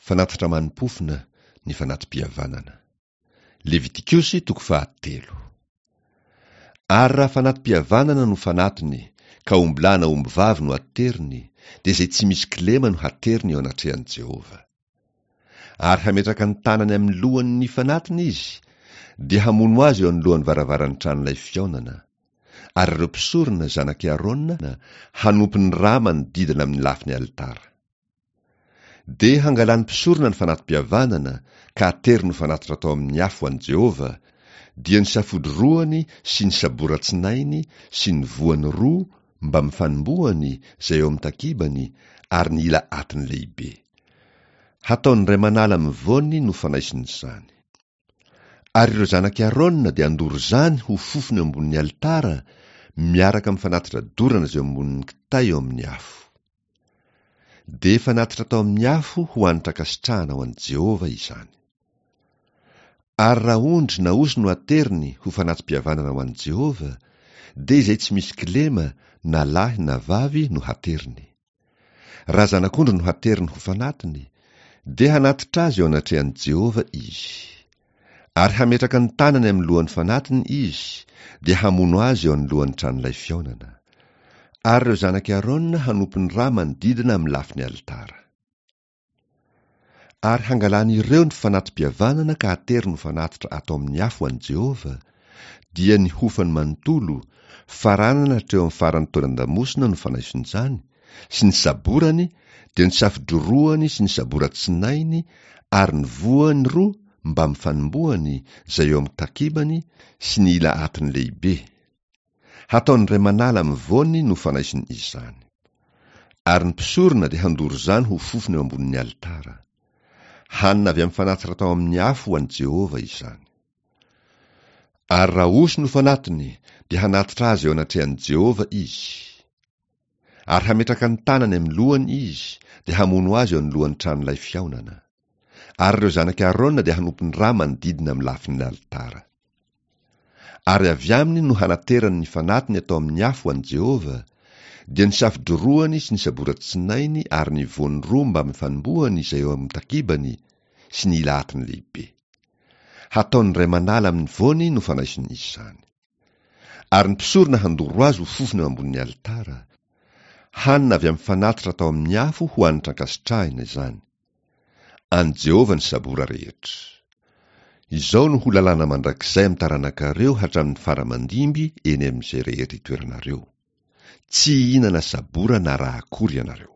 Fanatitra manim-pofona ny fanati-pihavanana. Levitikosy toko fahatelo. Ary raha fanati-pihavanana no fanatiny, ka ombilahy na ombivavy no ateriny, dia izay tsy misy kilema no hateriny eo anatrehan'i Jehovah. Ary hametraka ny tanany amin'ny lohany ny fanatiny izy, dia hamono azy eo anoloan'ny varavaran'ny tranolay fihaonana. Ary ireo mpisorona, zanak'i Arona, hanompo ny rà manodidina amin'ny lafiny alitara. Dia hangalan'ny mpisorona ny fanati-pihavanana ka ateriny ho fanatitra atao amin'ny afo ho an'i Jehovah, dia ny safody roany sy ny sabora tsinainy sy ny voany roa mbamin'ny fanombohany izay eo amin'ny takibany ary ny ila atiny lehibe. Hataony indray manala amin'ny voany no fanaisiny izany. Ary ireo zanak'i Arona dia handoro izany ho fofona eo ambonin'ny alitara miaraka amin'ny fanatitra dorana izay eo ambonin'ny kitay eo amin'ny afo. Dia fanatitra atao amin'ny afo ho hanitra ankasitrahana ho an'i Jehovah izany. Ary raha ondry na osy no ateriny ho fanati-pihavanana ho an'i Jehovah, dia izay tsy misy kilema na lahy na vavy no hateriny. Raha zanak'ondry no hateriny ho fanatiny, dia hanatitra azy eo anatrehan'i Jehovah izy. Ary hametraka ny tanany amin'ny lohan'ny fanatiny izy, dia hamono azy eo anoloan'ny tranolay fihaonana. Ary ireo zanak'i Arona hanopy ny rà manodidina amin'ny lafiny alitara. Ary hangalan'ireo ny fanati-pihavanana ka ateriny ho fanatitra atao amin'ny afo ho an'i Jehovah, dia ny hofany manontolo, faranana hatreo amin'ny faran'ny taolan-damosina no fanaison'izany, sy ny saborany, dia ny safodroroany sy ny sabora tsinainy ary ny voany roa mbamin'ny fanombohany izay eo amin'ny takibany sy ny ila atiny lehibe. Hataony indray manala amin'ny voany no fanaisiny izany. Ary ny mpisorona dia handoro izany ho fofona eo ambonin'ny alitara. Hanina avy amin'ny fanatitra atao amin'ny afo ho an'i Jehovah izany. Ary raha osy no fanatiny, dia hanatitra azy eo anatrehan'i Jehovah izy. Ary hametraka ny tanany amin'ny lohany izy, dia hamono azy eo anoloan'ny tranolay fihaonana. Ary ireo zanak'i Arona dia hanompo ny rà manodidina amin'ny lafin'ny alitara. Ary avy aminy no hanaterany ny fanatiny atao amin'ny afo ho an'i Jehovah, dia ny safodroroany sy ny sabora tsinainy ary ny voany roa mbamin'ny fanombohany izay eo amin'ny takibany sy ny ila atiny lehibe. Hataony indray manala amin'ny voany no fanaisiny izany. Ary ny mpisorona handoro azy ho fofona eo ambonin'ny alitara. Hanina avy amin'ny fanatitra atao amin'ny afo ho hanitra ankasitrahina izany. An'i Jehovah ny sabora rehetra. Izao no ho lalàna mandrakizay amin'ny taranakareo hatramin'ny fara aman-dimby eny amin'izay rehetra itoeranareo. Tsy hihinana sabora na rà akory ianareo.